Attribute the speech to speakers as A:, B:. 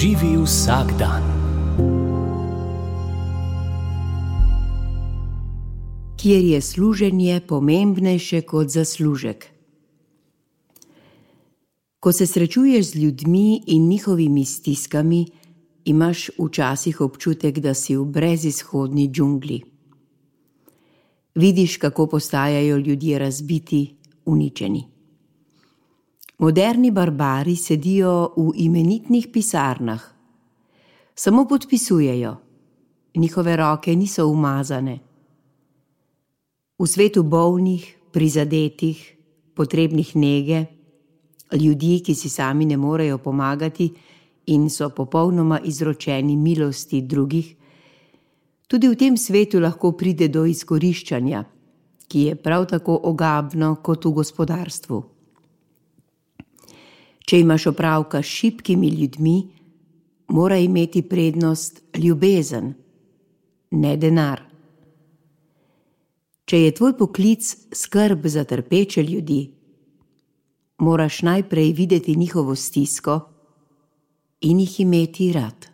A: Živi vsak dan.
B: Kjer je služenje pomembnejše kot zaslužek. Ko se srečuješ z ljudmi in njihovimi stiskami, imaš včasih občutek, da si v brezizhodni džungli. Vidiš, kako postajajo ljudje razbiti, uničeni. Moderni barbari sedijo v imenitnih pisarnah. Samo podpisujejo. Njihove roke niso umazane. V svetu bolnih, prizadetih, potrebnih nege, ljudi, ki si sami ne morejo pomagati in so popolnoma izročeni milosti drugih, tudi v tem svetu lahko pride do izkoriščanja, ki je prav tako ogabno kot v gospodarstvu. Če imaš opravka s šibkimi ljudmi, mora imeti prednost ljubezen, ne denar. Če je tvoj poklic skrb za trpeče ljudi, moraš najprej videti njihovo stisko in jih imeti rad.